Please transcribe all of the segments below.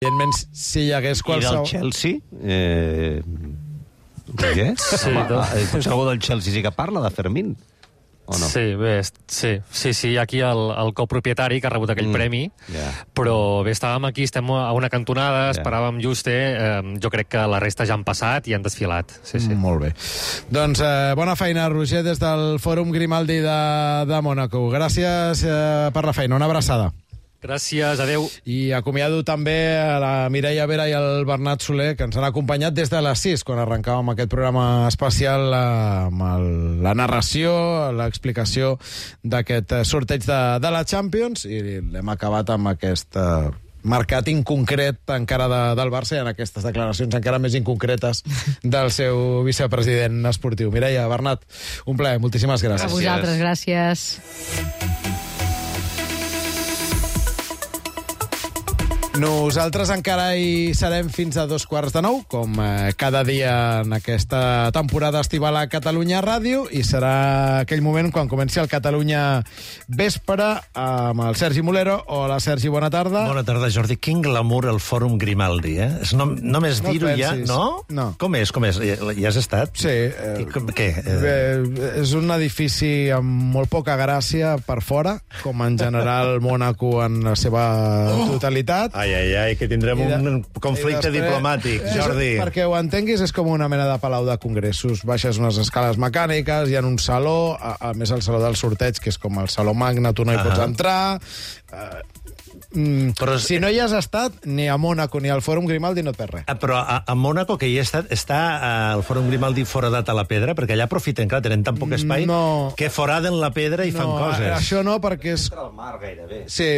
Evidentment, si hi hagués I qualsevol... del Chelsea? Què? Sí, Potser algú del Chelsea sí que parla de Fermín? O no? Sí, bé, sí, aquí el copropietari que ha rebut aquell premi, però bé, estàvem aquí, estem a una cantonada, esperàvem just, jo crec que la resta ja han passat i han desfilat. Sí. Molt bé. Doncs bona feina, Roger, des del Fòrum Grimaldi de Mònaco. Gràcies per la feina, una abraçada. Gràcies, adeu. I acomiado també a la Mireia Vera i al Bernat Soler, que ens han acompanyat des de les 6, quan arrencàvem aquest programa especial amb la narració, l'explicació d'aquest sorteig de la Champions, i l'hem acabat amb aquest mercat inconcret encara del Barça i en aquestes declaracions encara més inconcretes del seu vicepresident esportiu. Mireia, Bernat, un plaer, moltíssimes gràcies. A vosaltres, gràcies. Nosaltres encara hi serem fins a 8:45, com cada dia en aquesta temporada estival a Catalunya Ràdio, i serà aquell moment quan comenci el Catalunya Vespre amb el Sergi Mulero. Hola, Sergi, bona tarda. Bona tarda, Jordi. Quin glamour el Fòrum Grimaldi, eh? Només dir-ho ja, no? No. Com és? Hi has estat? Sí. Què? És un edifici amb molt poca gràcia per fora, com en general Mònaco en la seva totalitat. Ai, que tindrem un conflicte diplomàtic, Jordi. Perquè ho entenguis, és com una mena de palau de congressos. Baixes unes escales mecàniques, hi ha un saló, a més el saló del sorteig, que és com el saló magna, tu no hi pots entrar... Però si no hi has estat, ni a Mònaco ni al Fòrum Grimaldi no et perds res. Però a Mònaco, que hi he estat, està el Fòrum Grimaldi foradat a la pedra? Perquè allà aprofiten, clar, tenen tan poc espai que foraden la pedra i fan coses. Això no, perquè és... Entra al mar gairebé. Sí,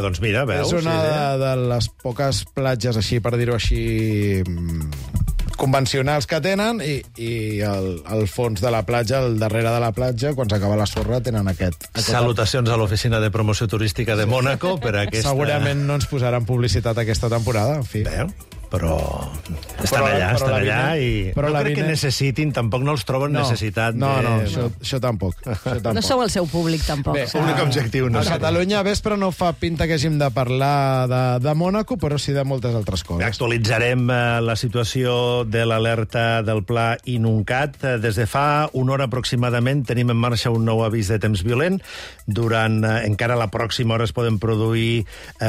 doncs mira, veus? És una de les poques platges, així, per dir-ho així, convencionals que tenen, i al fons de la platja, al darrere de la platja, quan s'acaba la sorra, tenen aquest... Salutacions a l'oficina de promoció turística de Mònaco per aquesta... Segurament no ens posaran publicitat aquesta temporada, en fi. Bé, però estan allà i no crec que necessitin, tampoc no els troben necessitat. No, això tampoc. No sou el seu públic, tampoc. Bé, públic objectiu, no. A Catalunya Vespre no fa pinta que hàgim de parlar de Mònaco, però sí de moltes altres coses. Actualitzarem la situació de l'alerta del pla Inuncat. Des de fa una hora aproximadament tenim en marxa un nou avís de temps violent. Durant encara la pròxima hora es poden produir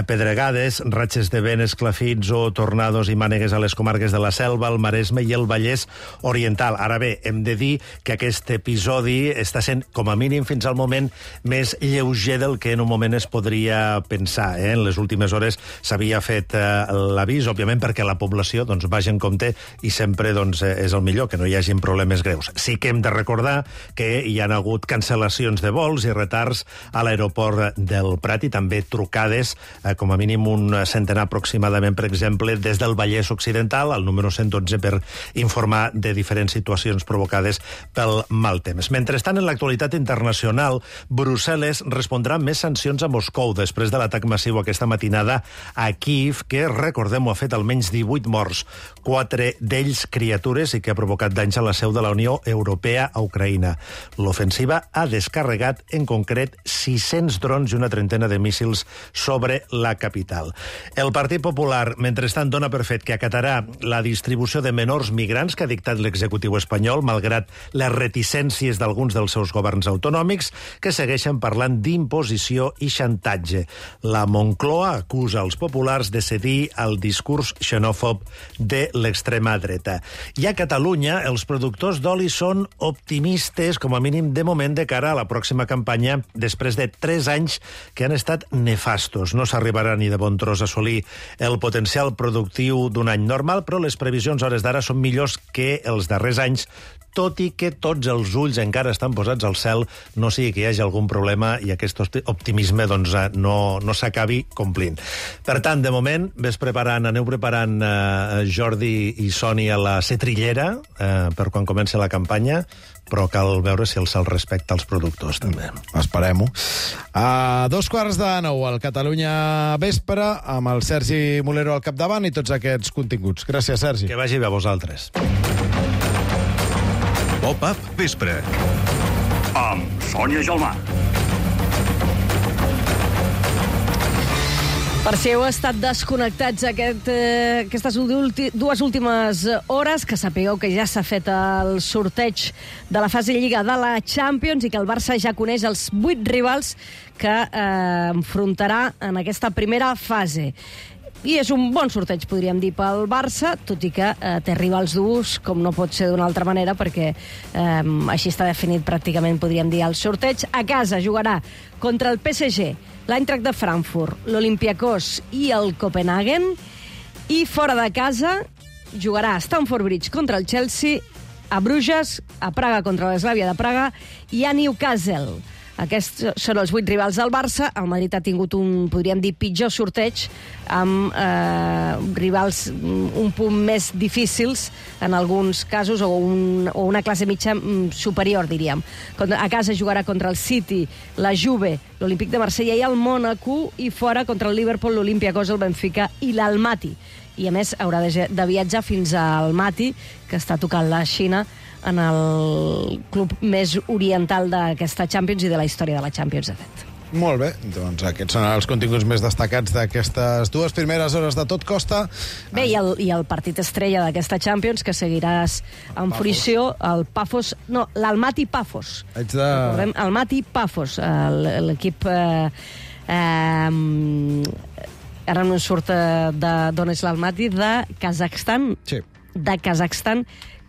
pedregades, ratxes de vent, esclafits o tornados i mànegues a les comarques de la Selva, el Maresme i el Vallès Oriental. Ara bé, hem de dir que aquest episodi està sent, com a mínim fins al moment, més lleuger del que en un moment es podria pensar. En les últimes hores s'havia fet l'avís, òbviament, perquè la població vagi en compte i sempre és el millor, que no hi hagin problemes greus. Sí que hem de recordar que hi ha hagut cancel·lacions de vols i retards a l'aeroport del Prat i també trucades, com a mínim un centenar aproximadament, per exemple, des del Vallès Occidental, al número 112, per informar de diferents situacions provocades pel mal temps. Mentrestant, en l'actualitat internacional, Brussel·les respondrà amb més sancions a Moscou després de l'atac massiu aquesta matinada a Kíev, que, recordem-ho, ha fet almenys 18 morts, 4 d'ells criatures, i que ha provocat danys a la seu de la Unió Europea a Ucraïna. L'ofensiva ha descarregat, en concret, 600 drons i una trentena de míssils sobre la capital. El Partit Popular, mentrestant, dona per fet que acatarà la distribució de menors migrants que ha dictat l'executiu espanyol, malgrat les reticències d'alguns dels seus governs autonòmics, que segueixen parlant d'imposició i xantatge. La Moncloa acusa els populars de cedir al discurs xenòfob de l'extrema dreta. I a Catalunya, els productors d'oli són optimistes, com a mínim de moment, de cara a la pròxima campanya, després de 3 anys que han estat nefastos. No s'arribarà ni de bon tros a assolir el potencial productiu d'un any normal, però les previsions a hores d'ara són millors que els darrers anys, tot i que tots els ulls encara estan posats al cel, no sigui que hi hagi algun problema i aquest optimisme no s'acabi complint. Per tant, de moment, aneu preparant Jordi i Sònia la cetrillera per quan comenci la campanya, però cal veure si el cel respecta els productors, també. Esperem-ho. A 8:45, al Catalunya Vespre, amb el Sergi Mulero al capdavant i tots aquests continguts. Gràcies, Sergi. Que vagi bé a vosaltres. Pop-up Vespre. Amb Sònia Gelmà. Per si heu estat desconnectats aquestes dues últimes hores, que sapigueu que ja s'ha fet el sorteig de la fase Lliga de la Champions i que el Barça ja coneix els 8 rivals que enfrontarà en aquesta primera fase. I és un bon sorteig, podríem dir, pel Barça, tot i que té rivals durs, com no pot ser d'una altra manera, perquè així està definit pràcticament, podríem dir, el sorteig. A casa jugarà contra el PSG, l'Eintracht de Frankfurt, l'Olympiacos i el Copenhagen, i fora de casa jugarà a Stamford Bridge contra el Chelsea, a Bruges, a Praga contra l'Eslavia de Praga i a Newcastle. Aquests són els 8 rivals del Barça. El Madrid ha tingut un, podríem dir, pitjor sorteig, amb rivals un punt més difícils en alguns casos, o una classe mitja superior, diríem. A casa jugarà contra el City, la Juve, l'Olímpic de Marsella i el Mónaco, i fora contra el Liverpool, l'Olympiacos, el Benfica i l'Almaty. I a més haurà de viatjar fins a Almaty, que està tocant la Xina, en el club més oriental d'aquesta Champions i de la història de la Champions, de fet. Molt bé, doncs aquests són els continguts més destacats d'aquestes dues primeres hores de Tot Costa. Bé, i el partit estrella d'aquesta Champions, que seguiràs amb fruició, l'Almaty Pafos. Recordem, Almaty Pafos, l'equip... ara no surt d'on és l'Almaty, de Kazakhstan. Sí. De Kazakhstan,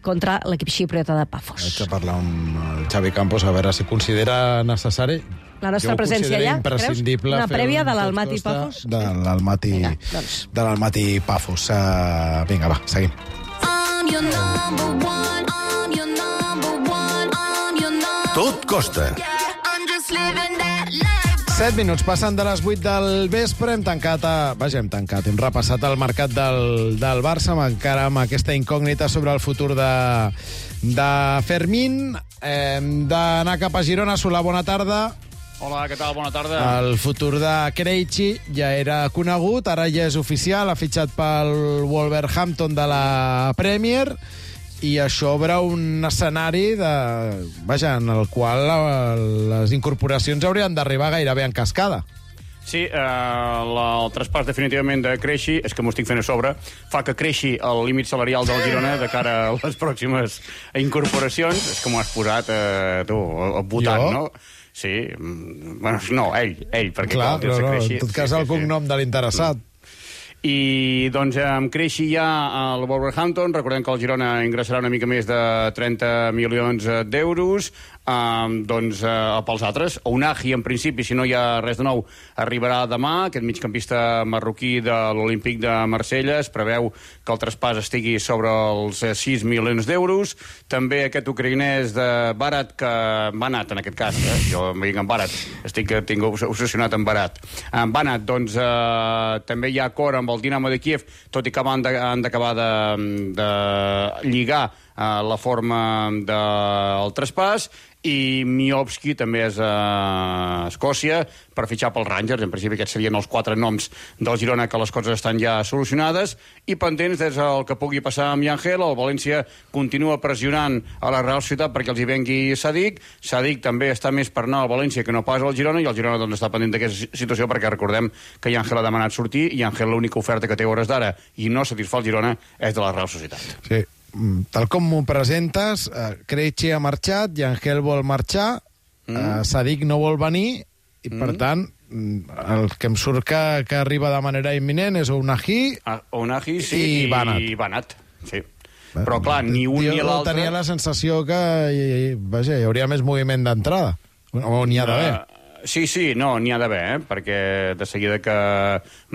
contra l'equip xipriota de Pafos. Haig de parlar amb el Xavi Campos a veure si considera necessari. La nostra presència allà, creus? Una prèvia de l'Almaty Pafos? De l'Almaty Pafos. Vinga, va, seguim. 'Tot costa'. 7 minuts passen de les 8 del vespre. Hem hem repassat el mercat del Barça, encara amb aquesta incògnita sobre el futur de Fermín. Hem d'anar cap a Girona. Solà, bona tarda. Hola, què tal? Bona tarda. El futur de Krejci ja era conegut, ara ja és oficial, ha fitxat pel Wolverhampton de la Premier, i això obre un escenari en el qual les incorporacions haurien d'arribar gairebé en cascada. Sí, el traspàs definitivament de Krejci, és que m'ho estic fent a sobre, fa que creixi el límit salarial del Girona de cara a les pròximes incorporacions. És que m'ho has posat, tu, votant, jo? no? Sí, bueno, no, ell, perquè clar, clar, no, en tot cas el cognom de l'interessat. I doncs amb Krejci ja al Wolverhampton, recordem que el Girona ingressarà una mica més de 30 milions d'euros, doncs pels altres. Ounahi, en principi, si no hi ha res de nou, arribarà demà. Aquest migcampista marroquí de l'Olímpic de Marsella, es preveu que el traspàs estigui sobre els 6 milions d'euros. També aquest ucraïnès de Barat, que Banat, en aquest cas, jo em dic en Barat, tinc obsessionat amb Barat. En Banat, doncs, també hi ha acord amb el Dinamo de Kiev, tot i que han d'acabar de lligar la forma del traspàs, i Miovski també és a Escòcia per fitxar pels Rangers. En principi aquests serien els 4 noms del Girona, que les coses estan ja solucionades, i pendents des del que pugui passar amb Yangel. El València continua pressionant a la Real Societat perquè els hi vengui Sadik. Sadik també està més per anar al València que no pas al Girona, i el Girona doncs, està pendent d'aquesta situació, perquè recordem que Yangel ha demanat sortir, i Yangel l'única oferta que té a hores d'ara i no satisfà el Girona és de la Real Societat. Sí. Tal com m'ho presentes, Krejci ha marxat, Yangel vol marxar, Sadik no vol venir, i per tant el que em surt que arriba de manera imminent és Ounahi, sí, i Banat. I Banat, sí. Però clar, ni un ni l'altre... Tenia la sensació que hi hauria més moviment d'entrada, o n'hi ha d'haver. Sí, no, n'hi ha d'haver, perquè de seguida que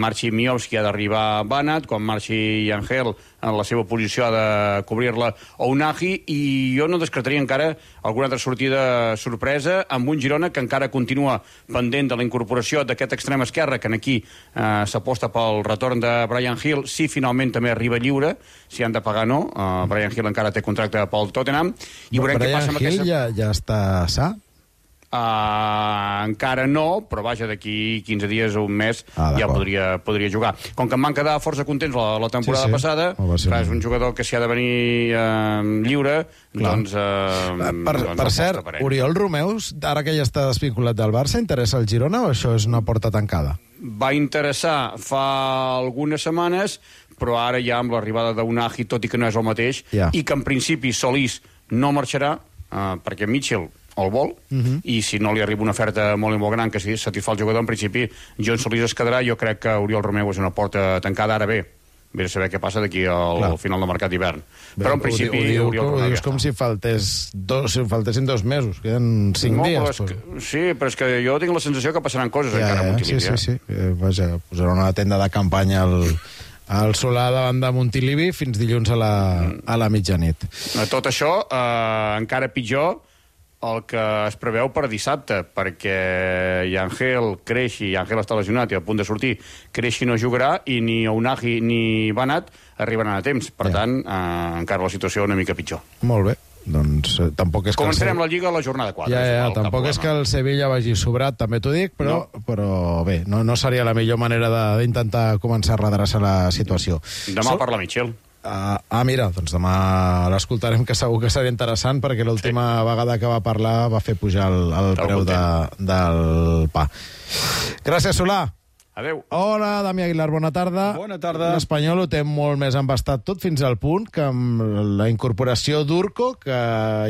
marxi Miovski ha d'arribar Banat, quan marxi Yangel en la seva posició ha de cobrir-la Ounahi, i jo no descartaria encara alguna altra sortida sorpresa amb un Girona que encara continua pendent de la incorporació d'aquest extrem esquerre, que aquí s'aposta pel retorn de Bryan Gil, si finalment també arriba lliure, si han de pagar no. Bryan Gil encara té contracte pel Tottenham, i veurem què passa amb aquesta... Bryan Gil ja està sa? Encara no, però vaja, d'aquí 15 dies o un mes ja podria jugar. Com que em van quedar força contents la temporada passada, és un jugador que s'hi ha de venir lliure, doncs... Per cert, Oriol Romeus, ara que ja està desvinculat del Barça, interessa el Girona o això és una porta tancada? va interessar fa algunes setmanes, però ara ja amb l'arribada d'Unagi, tot i que no és el mateix, i que en principi Solís no marxarà, perquè Mitchell el vol, i si no li arriba una oferta molt gran que satisfà el jugador, en principi John Solís es quedarà. Jo crec que Oriol Romeu és una porta tancada. Ara bé a saber què passa d'aquí al final del mercat d'hivern. Però en principi Oriol Romeu ho dius com si faltessin 2 mesos, queden 5 dies. Sí, però és que jo tinc la sensació que passaran coses encara a Montilivi. Sí. Vaja, posarà una tenda de campanya al Solà davant de Montilivi fins dilluns a la mitjanit. Tot això, encara pitjor el que es preveu per dissabte, perquè Yangel creixi, Yangel està lesionat i a punt de sortir, creixi no jugarà, i ni Unagi ni Banat arribaran a temps. Per tant, encara la situació una mica pitjor. Molt bé. Doncs tampoc és que... Començarem la Lliga a la jornada 4. Tampoc és que el Sevilla vagi sobrat, també t'ho dic, però bé, no seria la millor manera d'intentar començar a redreçar la situació. Demà parla Mitchell. Mira, doncs demà l'escoltarem, que segur que serà interessant, perquè l'última vegada que va parlar va fer pujar el preu del pa. Gràcies, Solà. Adéu. Hola, Damià Aguilar, bona tarda. Bona tarda. L'Espanyol ho té molt més embastat tot, fins al punt que amb la incorporació d'Urco, que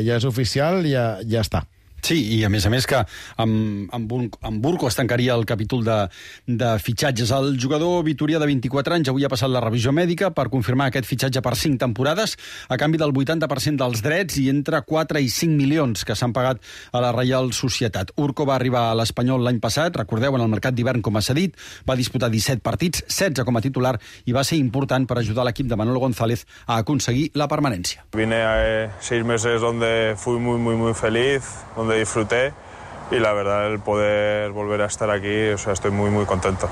ja és oficial, ja està. Sí, i a més que amb Urco es tancaria el capítol de fitxatges. El jugador vitorià de 24 anys avui ha passat la revisió mèdica per confirmar aquest fitxatge per 5 temporades a canvi del 80% dels drets i entre 4 i 5 milions que s'han pagat a la Reial Societat. Urco va arribar a l'Espanyol l'any passat, recordeu, en el mercat d'hivern com a cedit, va disputar 17 partits, 16 com a titular, i va ser important per ajudar l'equip de Manolo González a aconseguir la permanència. Vine a 6 meses donde fui muy feliz, donde disfruté, y la verdad el poder volver a estar aquí, o sea, estoy muy contento.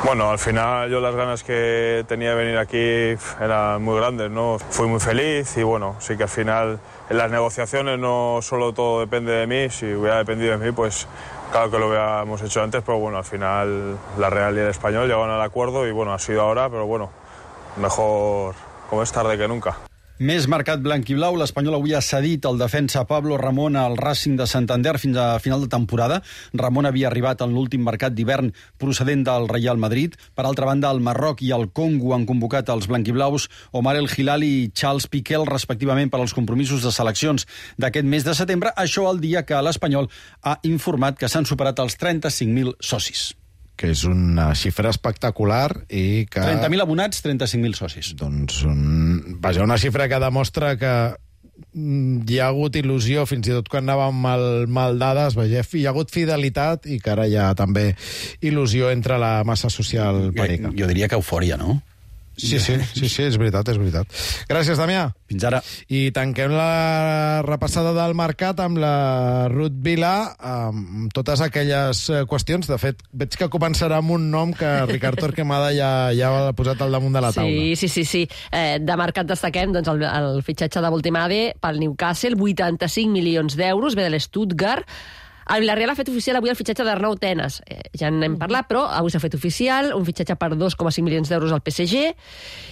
Bueno, al final yo las ganas que tenía de venir aquí eran muy grandes, ¿no? Fui muy feliz y bueno, sí que al final en las negociaciones no solo todo depende de mí, si hubiera dependido de mí, pues claro que lo hubiéramos hecho antes, pero bueno, al final la Real y el Español llegaron al acuerdo y bueno, ha sido ahora, pero bueno, mejor como es tarde que nunca. Més mercat blanc i blau. L'Espanyol avui ha cedit el defensa Pablo Ramón al Racing de Santander fins a final de temporada. Ramón havia arribat en l'últim mercat d'hivern procedent del Real Madrid. Per altra banda, el Marroc i el Congo han convocat els blanquiblaus Omar El Hilali i Charles Piquel, respectivament, per als compromisos de seleccions d'aquest mes de setembre. Això al dia que l'Espanyol ha informat que s'han superat els 35.000 socis. Que és una xifra espectacular i que... 30.000 abonats, 35.000 socis. Doncs, una xifra que demostra que hi ha hagut il·lusió, fins i tot quan anàvem mal dades, hi ha hagut fidelitat i que ara hi ha també il·lusió entre la massa social perica. Jo diria que eufòria, no? Sí, és veritat. Gràcies, Damià. Fins ara. I tanquem la repassada del mercat amb la Ruth Vilà, amb totes aquelles qüestions. De fet, veig que començarà amb un nom que Ricard Torquemada ja ha posat al damunt de la taula. Sí. De mercat destaquem el fitxatge de Voltemade pel Newcastle, 85 milions d'euros, ve de l'Stuttgart. El Villarreal ha fet oficial avui el fitxatge d'Arnau Tenas. Ja n'hem parlat, però avui s'ha fet oficial, un fitxatge per 2,5 milions d'euros al PSG.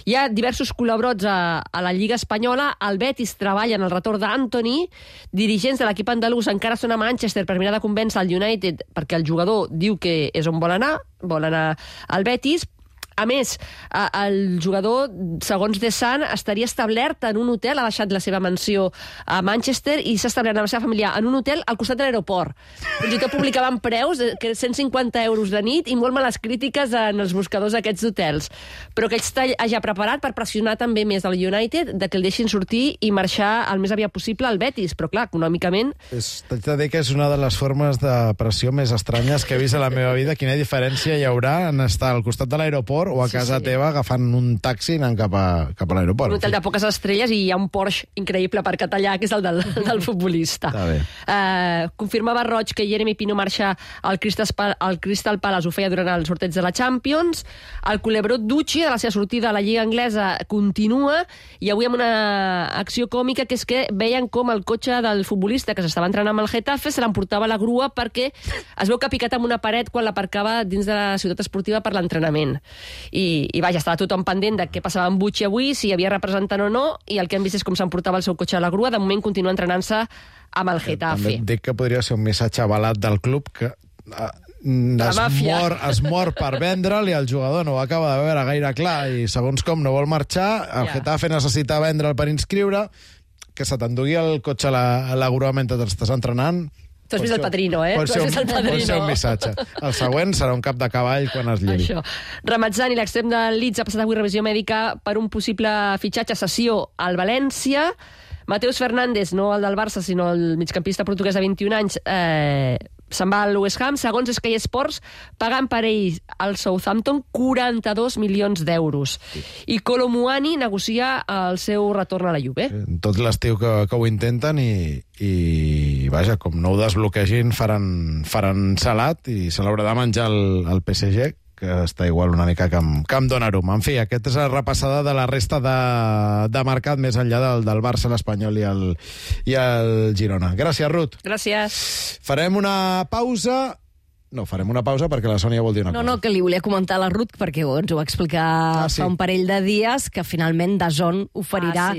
Hi ha diversos col·labots a la Lliga Espanyola. El Betis treballa en el retorn d'Antoni. Dirigents de l'equip andalús encara són a Manchester per mirar de convèncer el United perquè el jugador diu que és on vol anar al Betis. A més, el jugador, segons The Sun, estaria establert en un hotel, ha deixat la seva mansió a Manchester i s'ha establert amb la seva família en un hotel al costat de l'aeroport. Fins i tot publicaven preus, que 150 euros de nit, i molt males crítiques en els buscadors d'aquests hotels. Però que ell està ja preparat per pressionar també més el United de que el deixin sortir i marxar el més aviat possible al Betis. Però clar, econòmicament... T'haig de dir que és una de les formes de pressió més estranyes que he vist a la meva vida. Quina diferència hi haurà en estar al costat de l'aeroport o a casa teva agafant un taxi anant cap a l'aeroport. Un hotel de poques estrelles i hi ha un Porsche increïble per allà, que és el del futbolista. Confirmava Roig que Jeremy Pino marxa al Crystal Palace, ho feia durant el sorteig de la Champions. El culebró Ducci, de la seva sortida a la Lliga Anglesa, continua, i avui amb una acció còmica, que és que veien com el cotxe del futbolista que s'estava entrenant amb el Getafe se l'emportava a la grua perquè es veu que ha picat amb una paret quan l'aparcava dins de la ciutat esportiva per l'entrenament. I vaja, estava tothom pendent de què passava amb Bucci avui, si hi havia representant o no, i el que hem vist és com s'emportava el seu cotxe a la grua. De moment continua entrenant-se amb el Getafe. També et dic que podria ser un missatge avalat del club que es mor per vendre'l i el jugador no ho acaba de veure gaire clar i segons com no vol marxar, el Getafe necessita vendre'l per inscriure, que se t'endugui el cotxe a la grua mentre t'estàs entrenant. Tu has vist El Padrino, eh? Pot ser un missatge. El següent serà un cap de cavall quan es llevi. Ramazzani, l'extrem del Leeds, ha passat avui revisió mèdica per un possible fitxatge cessió al València. Mateus Fernández, no el del Barça, sinó el migcampista portuguès de 21 anys, se'n va al West Ham. Segons Sky Sports, pagant per ell al Southampton 42 milions d'euros. I Kolo Muani negocia el seu retorn a la Juve. Tot l'estiu que ho intenten i vaja, com no ho desbloquegin faran salat i se l'haurà de menjar el PSG, que està igual una mica que amb Donnarumma. En fi, aquesta és la repassada de la resta de mercat més enllà del Barça, l'Espanyol i el Girona. Gràcies, Ruth. Gràcies. Farem una pausa... No, farem una pausa perquè la Sònia vol dir una cosa. No, que li volia comentar a la Ruth perquè ens ho va explicar fa un parell de dies que finalment DAZN oferirà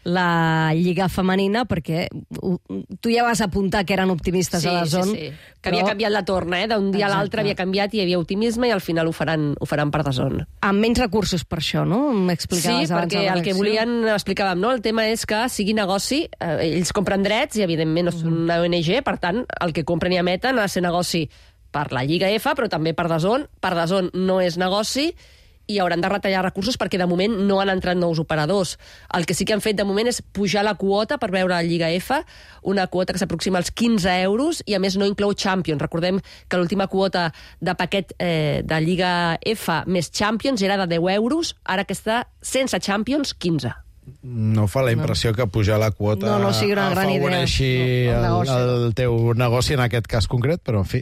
la Lliga Femenina perquè tu ja vas apuntar que eren optimistes a DAZN. Sí. Que havia canviat la torna, d'un dia a l'altre havia canviat i hi havia optimisme i al final ho faran per DAZN. Amb menys recursos per això, no? Sí, perquè el que volien, explicàvem, no? El tema és que sigui negoci, ells compren drets i evidentment no són una ONG, per tant, el que compren i emeten ha de ser negoci per la Lliga F, però també per DAZN. Per DAZN no és negoci i hauran de retallar recursos perquè de moment no han entrat nous operadors. El que sí que han fet de moment és pujar la quota per veure la Lliga F, una quota que s'aproxima als 15 euros i a més no inclou Champions. Recordem que l'última quota de paquet de Lliga F més Champions era de 10 euros, ara que està sense Champions, 15. No fa la impressió que pujar la quota afavoreixi el teu negoci en aquest cas concret, però en fi,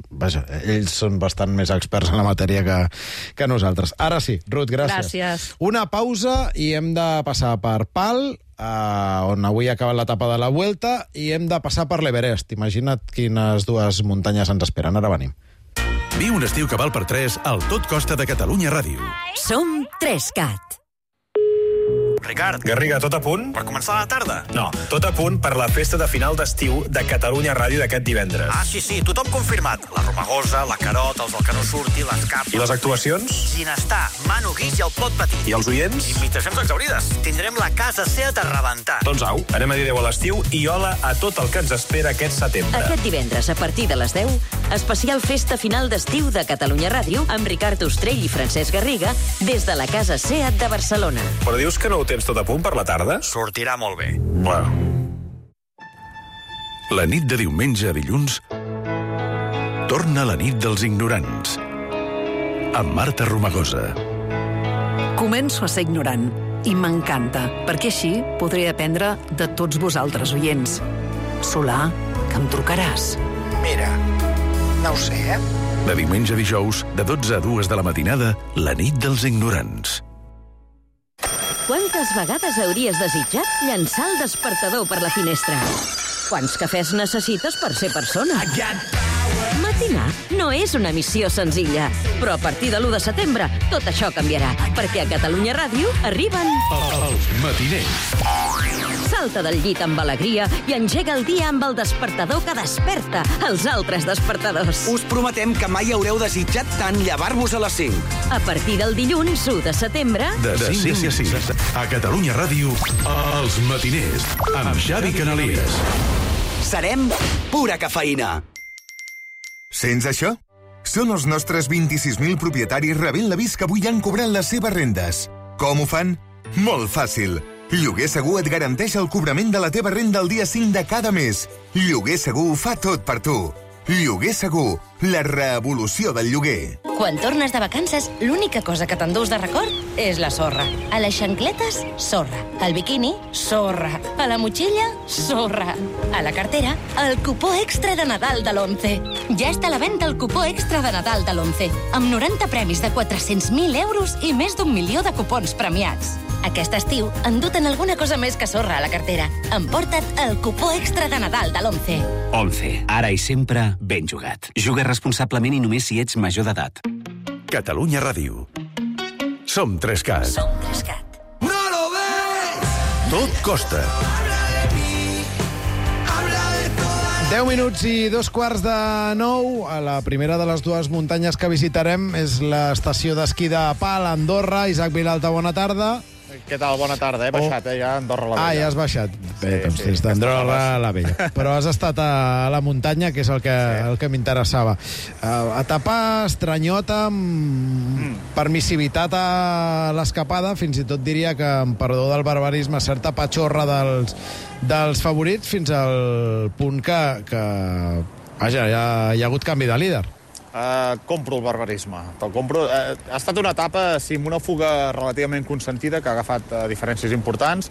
vaja, ells són bastant més experts en la matèria que nosaltres. Ara sí, Ruth, gràcies. Una pausa i hem de passar per Pal, on avui ha acabat l'etapa de la Vuelta, i hem de passar per l'Everest. Imagina't quines dues muntanyes ens esperen. Ara venim. Viu un estiu que val per 3 al Tot Costa de Catalunya Ràdio. Som 3CAT. Ricard, Garriga, tot a punt? Per començar la tarda? No, tot a punt per la festa de final d'estiu de Catalunya Ràdio d'aquest divendres. Ah, sí, tothom confirmat. La Romagosa, la Carot, els del que no surti, les capes... I les actuacions? Ginestar, Manu Guix i el Pot Petit. I els oients? Invitacions exaurides. Tindrem la casa Seat a rebentar. Doncs au, anem a dir adéu a l'estiu i hola a tot el que ens espera aquest setembre. Aquest divendres, a partir de les 10, especial festa final d'estiu de Catalunya Ràdio amb Ricard Ostrell i Francesc Garriga des de la casa Seat de Barcelona. Però dius que no ho tens tot a punt per la tarda? Sortirà molt bé. Bueno. La nit de diumenge a dilluns torna la nit dels ignorants amb Marta Romagosa. Començo a ser ignorant i m'encanta, perquè així podré aprendre de tots vosaltres, oients. Solà, que em trucaràs. Mira, no ho sé, De diumenge a dijous, de 12 a 2 de la matinada, la nit dels ignorants. Quantes vegades hauries desitjat llançar el despertador per la finestra? Quants cafès necessites per ser persona? Matinar no és una missió senzilla, però a partir de l'1 de setembre tot això canviarà, perquè a Catalunya Ràdio arriben... Els matiners. Salta del llit amb alegria i engega el dia amb el despertador que desperta els altres despertadors. Us prometem que mai haureu desitjat tant llevar-vos a les 5. A partir del dilluns 1 de setembre... De 5 a 6. A Catalunya Ràdio, Els matiners, amb Xavi Canalies. Serem pura cafeïna. Sents això? Són els nostres 26.000 propietaris rebent l'avís que avui han cobrat les seves rendes. Com ho fan? Molt fàcil. Lloguer Segur et garanteix el cobrament de la teva renda el dia 5 de cada mes. Lloguer Segur fa tot per tu. Lloguer Segur, la revolució del lloguer. Quan tornes de vacances, l'única cosa que t'endús de record és la sorra. A les xancletes, sorra. Al biquini, sorra. A la motxilla, sorra. A la cartera, el cupó extra de Nadal de l'11. Ja està a la venda el cupó extra de Nadal de l'11, amb 90 premis de 400.000 euros i més d'1 milió de cupons premiats. Aquest estiu, endut-te'n alguna cosa més que sorra a la cartera. Emporta't el cupó extra de Nadal de l'11. 11. Ara i sempre, ben jugat. Juga responsablement i només si ets major d'edat. Catalunya Ràdio. Som 3CAT. Som 3CAT. No lo ves! Tot costa. 10 minuts i 2:15. A la primera de les dues muntanyes que visitarem és l'estació d'esquí de Pal, a Andorra. Isaac Vilalta, bona tarda. Què tal? Bona tarda. He baixat, ja a Andorra la Vella. Ah, ja has baixat. Bé, doncs des d'Andorra la Vella. Però has estat a la muntanya, que és el que m'interessava. Etapa estranyota, amb permissivitat a l'escapada, fins i tot diria que, amb perdó del barbarisme, certa patxorra dels favorits, fins al punt que vaja, ja hi ha hagut canvi de líder. Compro el barbarisme. Te'l compro. Ha estat una etapa, sí, amb una fuga relativament consentida, que ha agafat diferències importants.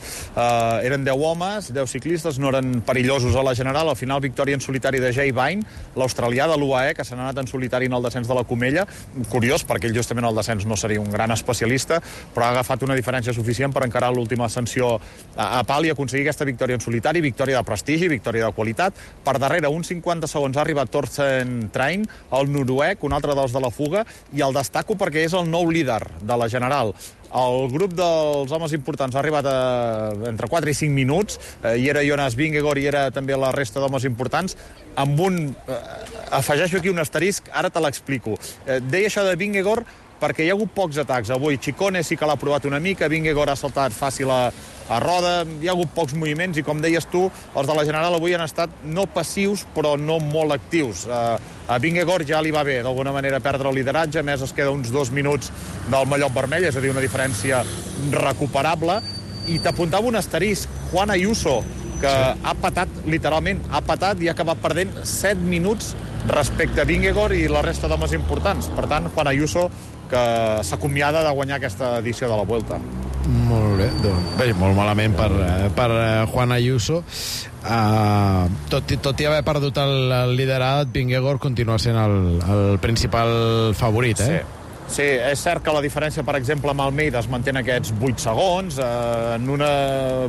Eren 10 homes, 10 ciclistes, no eren perillosos a la general. Al final, victòria en solitari de Jay Vine, l'australià de l'UAE, que s'ha anat en solitari en el descens de la Comella. Curiós, perquè ell justament al descens no seria un gran especialista, però ha agafat una diferència suficient per encarar l'última ascensió a Pal i aconseguir aquesta victòria en solitari, victòria de prestigi, victòria de qualitat. Per darrere, uns 50 segons ha arribat Torsten Trein, el noruec, un altre dels de la fuga, i el destaco perquè és el nou líder de la general. El grup dels homes importants ha arribat entre 4 i 5 minuts, hi era Jonas Vingegaard i era també la resta d'homes importants, amb afegeixo aquí un asterisc, ara te l'explico. Deia això de Vingegaard perquè hi ha hagut pocs atacs. Avui Ciccone sí que l'ha provat una mica, Vingegaard ha saltat fàcil a roda, hi ha hagut pocs moviments i, com deies tu, els de la general avui han estat no passius, però no molt actius. A Vingegaard ja li va bé, d'alguna manera, perdre el lideratge, a més es queda uns 2 minuts del mallot vermell, és a dir, una diferència recuperable. I t'apuntava un asterisc, Juan Ayuso, que ha patat, literalment, ha patat i ha acabat perdent 7 minuts respecte a Vingegaard i la resta d'homes importants. Per tant, Juan Ayuso, que s'acomiada de guanyar aquesta edició de la Vuelta. Molt bé, doncs, bé, molt malament per Juan Ayuso. Tot i haver perdut el liderat, Vingegaard continua sent el principal favorit, eh? Sí, és cert que la diferència, per exemple, amb Almeida es manté en aquests 8 segons, en un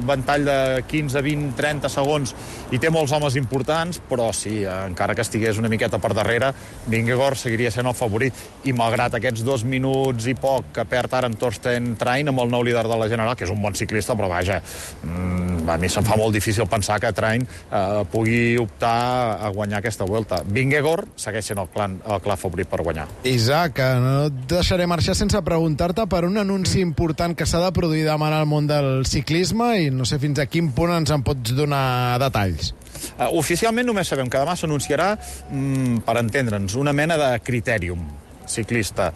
ventall de 15, 20, 30 segons hi té molts homes importants, però sí, encara que estigués una miqueta per darrere, Vingegaard seguiria sent el favorit. I malgrat aquests 2 minuts i poc que perd ara en Torsten Trein amb el nou líder de la general, que és un bon ciclista, però vaja, a mi se'm fa molt difícil pensar que Trein pugui optar a guanyar aquesta Vuelta. Vingegaard segueix sent el clar favorit per guanyar. Isaac, no deixaré marxar sense preguntar-te per un anunci important que s'ha de produir demà al món del ciclisme i no sé fins a quin punt ens en pots donar detalls. Oficialment només sabem que demà s'anunciarà, per entendre'ns, una mena de critèrium ciclista.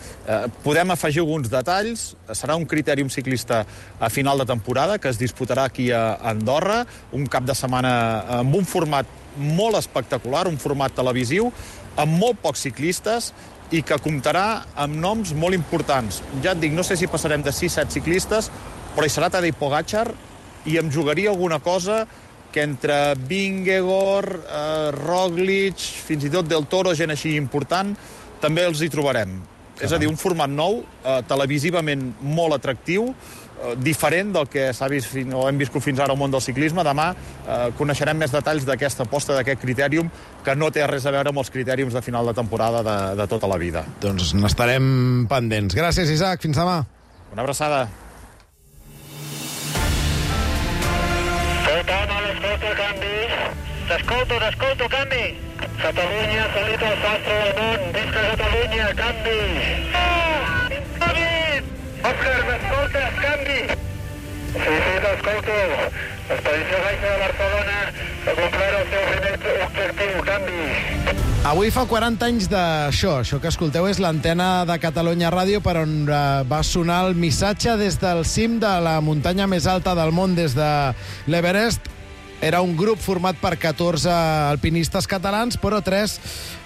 Podem afegir alguns detalls. Serà un critèrium ciclista a final de temporada que es disputarà aquí a Andorra, un cap de setmana amb un format molt espectacular, un format televisiu, amb molt pocs ciclistes i que comptarà amb noms molt importants. Ja et dic, no sé si passarem de 6-7 ciclistes, però hi serà Tadej Pogačar i em jugaria alguna cosa que entre Vingegaard, Roglic, fins i tot Del Toro, gent així important, també els hi trobarem. És a dir, un format nou, televisivament molt atractiu, diferent del que s'ha vist o hem viscut fins ara al món del ciclisme. Demà coneixerem més detalls d'aquesta aposta, d'aquest critèrium, que no té res a veure amb els critèriums de final de temporada de tota la vida. Doncs n'estarem pendents. Gràcies, Isaac. Fins demà. Una abraçada. Tothom a l'escolta, canvi. T'escolto, canvi. Catalunya, salut al sastre del món. Visca Catalunya, canvi. Òscar, m'escoltes, canvi? Sí, t'escolto. L'expedició Baixa de Barcelona ha complert el seu primer objectiu, canvi. Avui fa 40 anys d'això. Això que escolteu és l'antena de Catalunya Ràdio, per on va sonar el missatge des del cim de la muntanya més alta del món, des de l'Everest. Era un grup format per 14 alpinistes catalans, però 3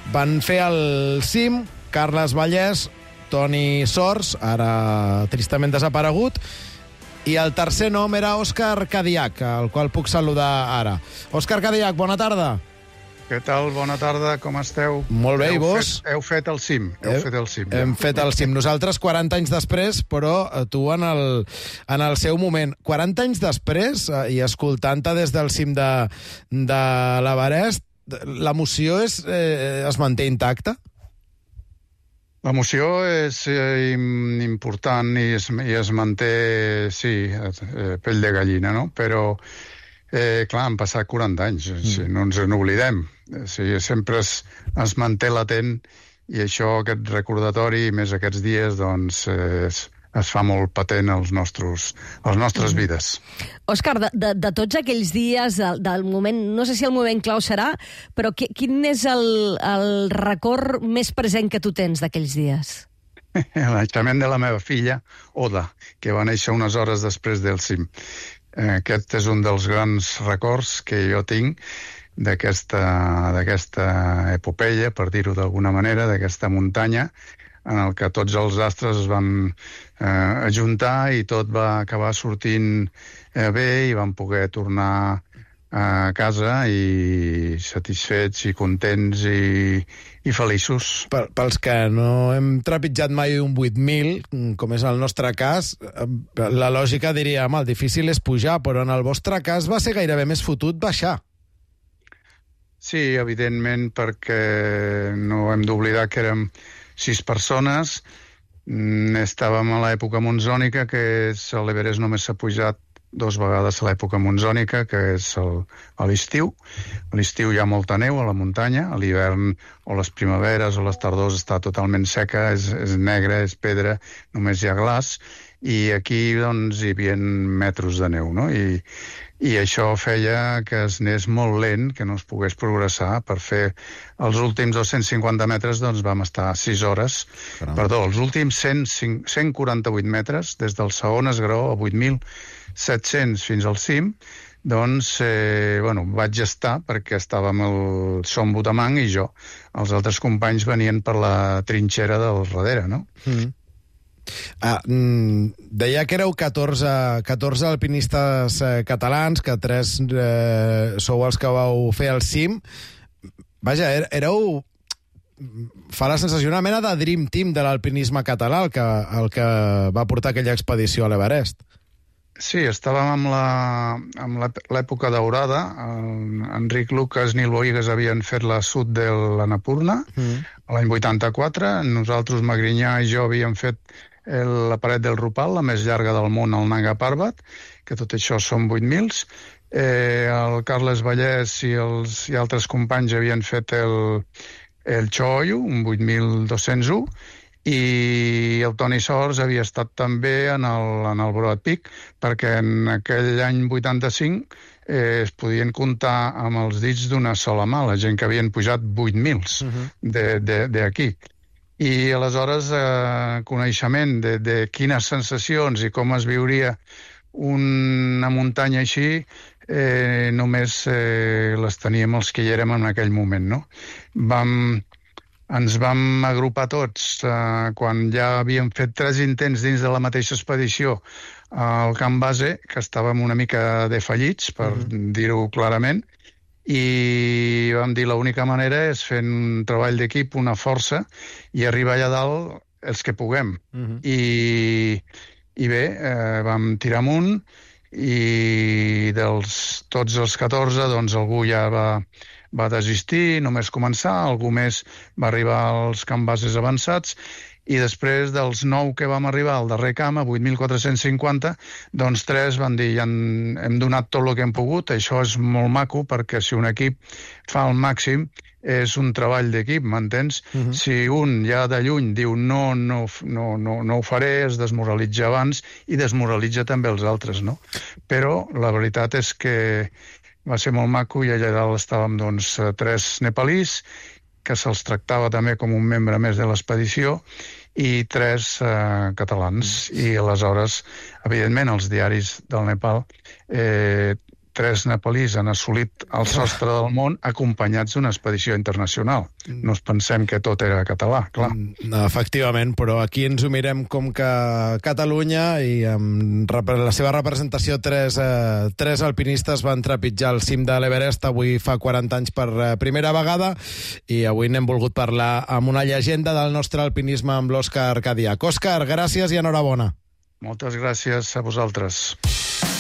van fer el cim: Carles Vallès, Toni Sors, ara tristament desaparegut, i el tercer nom era Òscar Cadillac, el qual puc saludar ara. Òscar Cadillac, bona tarda. Què tal? Bona tarda, com esteu? Molt bé, i vos? Heu fet el cim. Hem fet el cim. Nosaltres 40 anys després, però tu en el seu moment. 40 anys després, i escoltant-te des del cim de l'Everest, l'emoció es manté intacta? L'emoció és important i es manté, sí, pell de gallina, no? Però Clar, han passat 40 anys, no ens n'oblidem. Sempre es manté latent i això, aquest recordatori, més aquests dies, doncs es fa molt patent als nostres vides. Òscar, de tots aquells dies, del moment, no sé si el moment clau serà, però quin és el record més present que tu tens d'aquells dies? El naixement de la meva filla, Oda, que va néixer unes hores després del cim. Aquest és un dels grans records que jo tinc d'aquesta epopeia, per dir-ho d'alguna manera, d'aquesta muntanya, en el que tots els astres es van ajuntar i tot va acabar sortint bé i vam poder tornar a casa i satisfets i contents i feliços. Pels que no hem trepitjat mai un 8.000, com és el nostre cas, la lògica diria, el difícil és pujar, però en el vostre cas va ser gairebé més fotut baixar. Sí, evidentment, perquè no hem d'oblidar que érem 6 persones. Estàvem a l'època monzònica, que és l'Everest només s'ha pujat 2 vegades a l'època monzònica, que és a l'estiu. A l'estiu hi ha molta neu a la muntanya, a l'hivern o les primaveres o les tardors està totalment seca, és negra, és pedra, només hi ha glaç, i aquí doncs hi havia metres de neu, no? I això feia que es anés molt lent, que no es pogués progressar. Per fer els últims 250 metres doncs vam estar 6 hores. Perdó, els últims 148 metres, des del segon esgraó a 8.700 fins al cim, doncs, vaig estar perquè estàvem el Som Botamang i jo. Els altres companys venien per la trinxera del darrere, no? Deia que éreu 14 alpinistes catalans, que 3 sou els que vau fer el cim. Vaja, éreu... Fa la sensació una mena de dream team de l'alpinisme català, el que va portar aquella expedició a l'Everest. Sí, estàvem amb l'època daurada. Enric Lucas, Nil Bohigas havien fet la sud de l'Annapurna l'any 84. Nosaltres, Magrinyà i jo, havíem fet la paret del Rupal, la més llarga del món, el Nanga Parbat, que tot això són 8.000. El Carles Vallès i altres companys havien fet el Choyu, un 8.201, i el Toni Sors havia estat també en el Broad Peak, perquè en aquell any 85 es podien comptar amb els dits d'una sola mà, la gent que havien pujat 8.000 d'aquí. I aleshores coneixement de quines sensacions i com es viuria una muntanya així només les teníem els que hi érem en aquell moment, no? Ens vam agrupar tots quan ja havíem fet 3 intents dins de la mateixa expedició al camp base, que estàvem una mica defallits, per dir-ho clarament, i vam dir l'única manera és fer un treball d'equip, una força, i arribar allà dalt els que puguem. I bé, vam tirar amunt, i tots els 14, doncs algú ja va desistir, només començar, algú més va arribar als camp bases avançats, i després dels 9 que vam arribar al darrer camp, a 8.450, doncs 3 van dir, hem donat tot el que hem pogut, això és molt maco, perquè si un equip fa el màxim, és un treball d'equip, m'entens? Si un ja de lluny diu no ho faré, es desmoralitza abans i desmoralitza també els altres, no? Però la veritat és que va ser molt maco i allà dalt estàvem, doncs, 3 nepalís, que se'ls tractava també com un membre més de l'expedició, i 3 catalans. I aleshores, evidentment, els diaris del Nepal, 3 nepalís han assolit el sostre del món acompanyats d'una expedició internacional. No ens pensem que tot era català, clar. Efectivament, però aquí ens ho mirem com que Catalunya, i amb la seva representació 3 alpinistes van trepitjar el cim de l'Everest avui fa 40 anys per primera vegada, i avui n'hem volgut parlar amb una llegenda del nostre alpinisme, amb l'Òscar Cadiach. Òscar, gràcies i enhorabona. Moltes gràcies a vosaltres.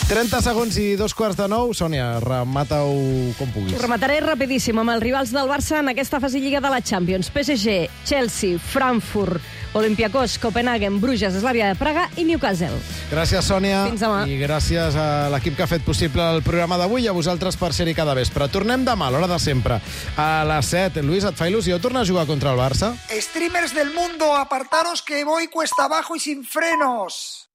30 segons i 2:15. Sònia, remata-ho com puguis. Ho remataré rapidíssim amb els rivals del Barça en aquesta fase lliga de la Champions. PSG, Chelsea, Frankfurt, Olympiacos, Copenhagen, Bruges, Slavia de Praga i Newcastle. Gràcies, Sònia. Fins demà. I gràcies a l'equip que ha fet possible el programa d'avui i a vosaltres per ser-hi cada vespre. Tornem demà a l'hora de sempre. A les 7. Luis, et fa il·lusió tornar a jugar contra el Barça? Streamers del mundo, apartaros que voy cuesta abajo y sin frenos.